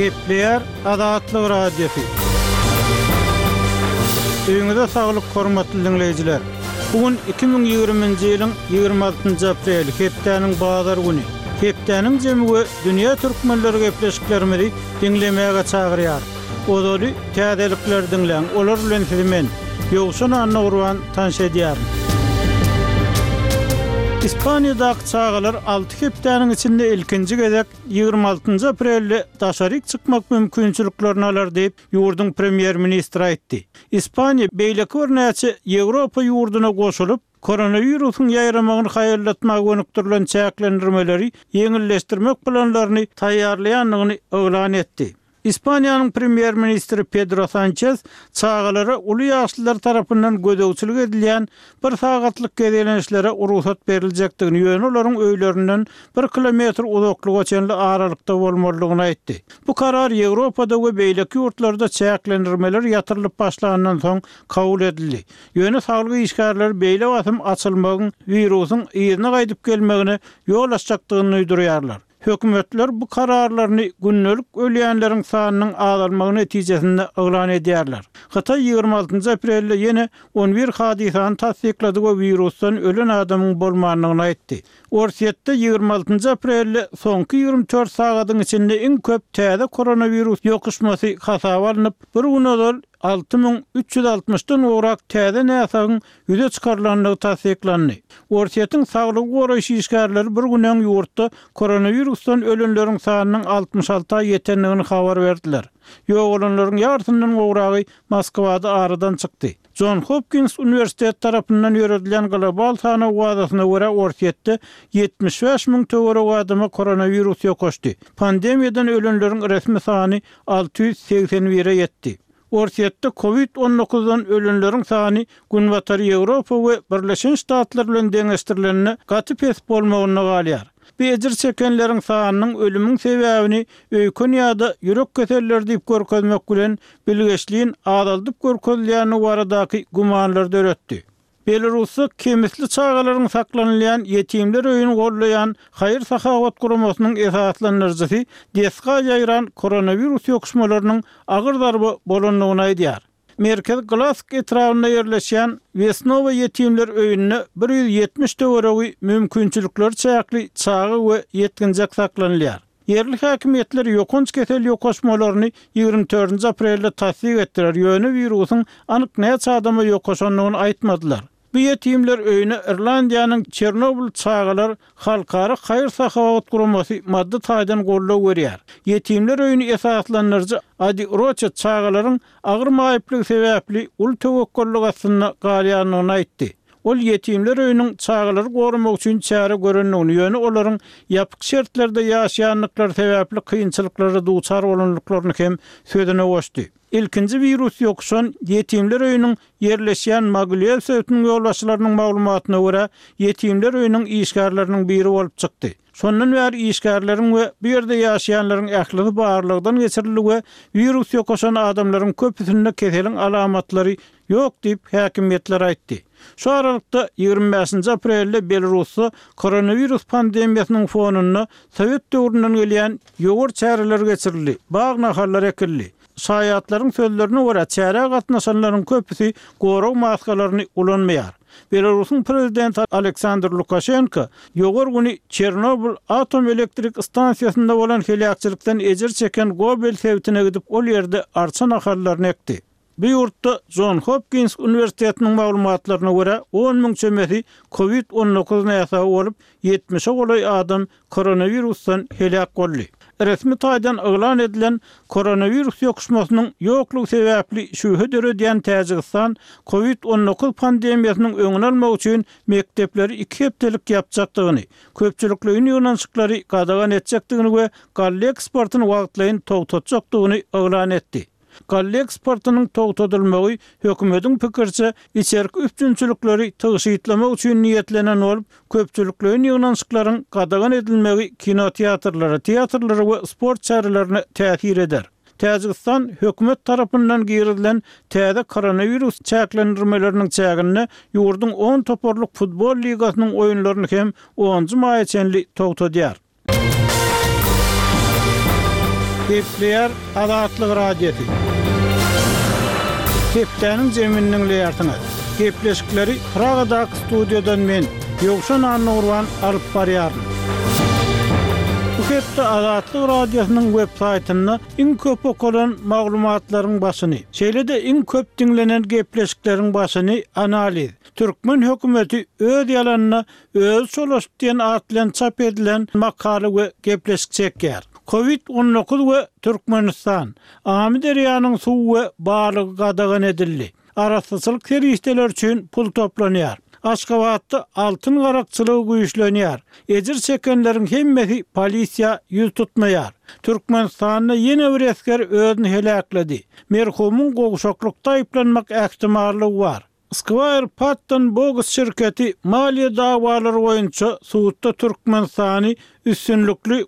Gepleýär Azatlyk Radiosy. Öýüňize saglyk hormatly diňleýjiler! Bu gün 2020-nji ýylyň 26-njy apreli, hepdäniň bazar güni. Hepdäniň jemi we dünýä türkmenleri gepleşiklerimizi diňlemäge çagyrýar. Ozaly täzelikleri diňläň, olar bilen sizi men, Ýowşan Annagurban tanyş edýärin. Ispaniýadaky çagalar alty hepdäniň içinde ilkinji gezek 26-njy aprelde daşaryk çykmak mümkinçiliklerini alar diýip, ýurduň premýer-ministri aýtdy. Ispaniýa beýleki birnäçe Ýewropa ýurduna goşulyp, koronawirusyň ýaýramagyny haýallatmaga gönükdirilen çäklendirmeleri ýeňilleşdirmek planlaryny taýýarlaýandygyny yglan etdi. Ispaniýanyň premýer-ministri Pedro Sançes çagalara uly ýaşlylar tarapyndan gözegçilik edilýän bir sagatlyk gezelençlere rugsat beriljekdigini, ýöne olaryň öýlerinden bir kilometr uzaklyga çenli aralykda bolmalydygyny aýtdy. Bu karar Ýewropada we beýleki ýurtlarda çäklendirmeler ýatyrylyp başlandan soň kabul edildi. Ýöne saglyk işgärleri beýle basym açylmagyň wirusyň yzyna gaýdyp gelmegine ýol açjakdygyny duýdurýarlar. Hökümetler bu kararlaryny gündelik ölýänleriň sanynyň azalmagy netijesinde yglan edýärler. Hytaý 26 aprelde ýene 11 hadysany tassyklady we wirusdan ölen adamyň bolmandygyny aýtdy. Orsýetde 26 aprelde soňky 24 sagadyň içinde iň köp täze koronawirus ýokuşmasy hasaba alnyp, bir gün ozal 6360 dan gowrak täze näsagyň ýüze çykarylandygy tassyklandy. Orsýetiň saglygy goraýyş işgärleri bir gün öň ýurtda koronawirusdan ölenleriň sanynyň 66-a ýetendigini habar berdiler. Ýogalanlaryň ýarysyndan gowragy Moskwada aradan çykdy. Jon Hopkins uniwersiteti tarapyndan ýöredilýän global sanaw bazasyna görä Orsýetde 75 müň töweregi adama koronawirus ýokaşdy. Pandemiýadan ölenleriň resmi sany 681-e ýetdi. Orsýetde Covid 19 dan ölenleriň sany Günbatar Ýewropa we Birleşen Ştatlar bilen deňeşdirilende gaty pes bolmagynda galýar. Bu ejir çekenleriň sanynyň ölümiň sebäbini öýken ýa-da ýürek keselleri diýip görkezmek bilen bilgeşlin azaldyp görkezilýändigi baradaky gümanlary döretdi. Belarusda kemisli çagalaryň saklanylýan ýetimler öýüni goldaýan haýyr-sahawat guramasynyň esaslandyryjysy desga ýaýran koronawirus ýokuşmalarynyň agyr zarba bolandygyny aýdýar. Merkezi Glask etrabynda ýerleşýän Wesnowa ýetimler öýünde 170 töweregi mümkinçilikleri çäkli çaga we ýetginjek saklanylýar. Ýerli häkimiýetler ýokanç kesel ýokaşmalaryny 24-nji aprelde tassyk etdiler, ýöne wirusyň anyk näçe adama ýokaşandygyny aýtmadylar. Bu ýetimler öýüne Irlandiýanyň Çernobyl çagalar halkara haýyr-sahawat guramasy maddy taýdan goldaw berýär. Ýetimler öýüni esaslandyryjy Adi Roçet çagalaryň agyr maýyplygy sebäpli uly töwekgellik astynda galýandygyny aýtdy. Ol ýetimler öýüniň çagalary goramak üçin çäre görendigini, ýöne olaryň ýapyk şertlerde ýaşaýandyklary sebäpli kynçylyklara duçar bolandyklaryny hem sözüne goşdy. Ilkinji wirus ýokuşan ýetimler öýüniň ýerleşýän Mogilýow sebitiniň ýolbaşçylarynyň maglumatyna görä, ýetimler öýüniň işgärleriniň biri bolup çykdy. Şondan bäri işgärleriň we bu ýerde ýaşaýanlaryň ählisi barlagdan geçirildi we wirus ýokaşan adamlaryň köpüsinde keseliň alamatlary ýok diýip, häkimiýetler aýtdy. Şu aralykda, 25-nji aprelde Belarusda koronawirus pandemiýasynyň fonunda sowet döwründen gelýän ýowar çäreleri geçirildi, bag nahallary ekildi. Şaýatlaryň sözlerine görä, çärä gatnaşanlaryň köpüsi gorag maskalaryny ulanmaýar. Belarusyň prezidenti Aleksandr Lukaşenko ýowar güni Çernobyl atom elektrik stansiýasynda bolan heläkçilikden ejir çeken Gobel sebitine gidip, ol ýerde arça nahallaryny ekdi. Bu ýurtda Jon Hopkins uniwersitetiniň maglumatlaryna görä, 10 müň çemesi Covid 19 näsagy bolup, ýetmişe golaý adam koronawirusdan heläk boldy. Resmi taýdan yglan edilen koronawirus ýokuşmasynyň ýoklugy sebäpli şübhe döredýän Täjigistan Covid 19 pandemiýasynyň öňüni almak üçin mekdepleri iki hepdelik ýapjakdygyny, köpçülikleýin ýygnanyşyklary gadagan etjekdigini we galla eksportyny wagtlaýyn togtatjakdygyny yglan etdi. Galla eksportynyň togtadylmagy hökümetiň pikiriçe, içerki üpjünçilikleri tygşytlamak üçin niýetlenen bolup, köpçülikleýin ýygnanyşyklaryň gadagan edilmegi kinoteatrlara, teatrlara we sport çärelerine täsir eder. Täjigistan hökümet tarapyndan girizilen täze koronawirus çäklendirmeleriniň çäginde ýurduň on toparlyk futbol ligasynyň oýunlaryny hem onunjy maýa çenli togtadýar. Gepleýär Azatlyk Radiosy. Hepdäniň jemini diňleýärsiňiz. Gepleşikleri Pragadaky studiýadan men, Ýowşan Annagurban alyp barýaryn. Bu hepde Azatlyk Radiosynyň web saýtynda iň köp okalan maglumatlaryň başyny, şeýle-de iň köp diňlenen gepleşikleriň başyny analiz, Türkmen hökümeti öz ýalanyna özi çolaşdy diýen at bilen çap edilen makala we gepleşik çekýär. Covid 19 we Türkmenistan, Amyderýanyň suwy we balygy gadagan edildi. Arassaçylyk serişdeleri üçin pul toplanýar. Aşgabatda altyn garakçylygy güýçlenýär. Ejir çekenleriň hemmesi polisiýa ýüz tutmaýar. Türkmenistanda ýene bir esger özüni heläkledi. Merhumyň gowşaklykda aýyplanmak ähtimallygy bar. Squire Patton Boggs şirketi maliýe dawalary boýunça sudda Türkmenistany üstünlikli.